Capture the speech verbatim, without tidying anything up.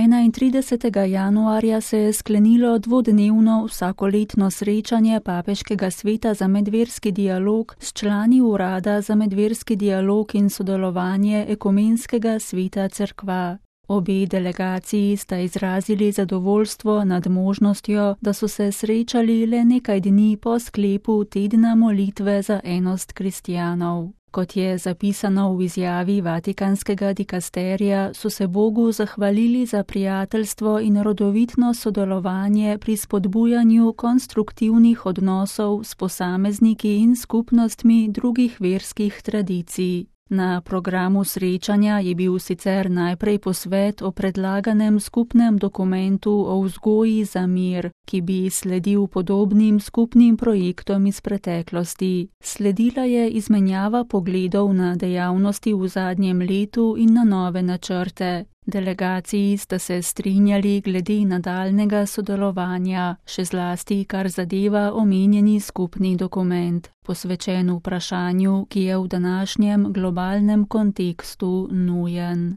enaintridesetega januarja se je sklenilo dvodnevno vsakoletno srečanje Papeškega sveta za medverski dialog s člani Urada za medverski dialog in sodelovanje Ekumenskega sveta cerkva. Obe delegaciji sta izrazili zadovoljstvo nad možnostjo, da so se srečali le nekaj dni po sklepu tedna molitve za enost kristjanov. Kot je zapisano v izjavi Vatikanskega dikasterija, so se Bogu zahvalili za prijateljstvo in rodovitno sodelovanje pri spodbujanju konstruktivnih odnosov s posamezniki in skupnostmi drugih verskih tradicij. Na programu srečanja je bil sicer najprej posvet o predlaganem skupnem dokumentu o vzgoji za mir, ki bi sledil podobnim skupnim projektom iz preteklosti. Sledila je izmenjava pogledov na dejavnosti v zadnjem letu in na nove načrte. Delegaciji sta se strinjali glede nadaljnega sodelovanja, še zlasti kar zadeva omenjeni skupni dokument, posvečen vprašanju, ki je v današnjem globalnem kontekstu nujen.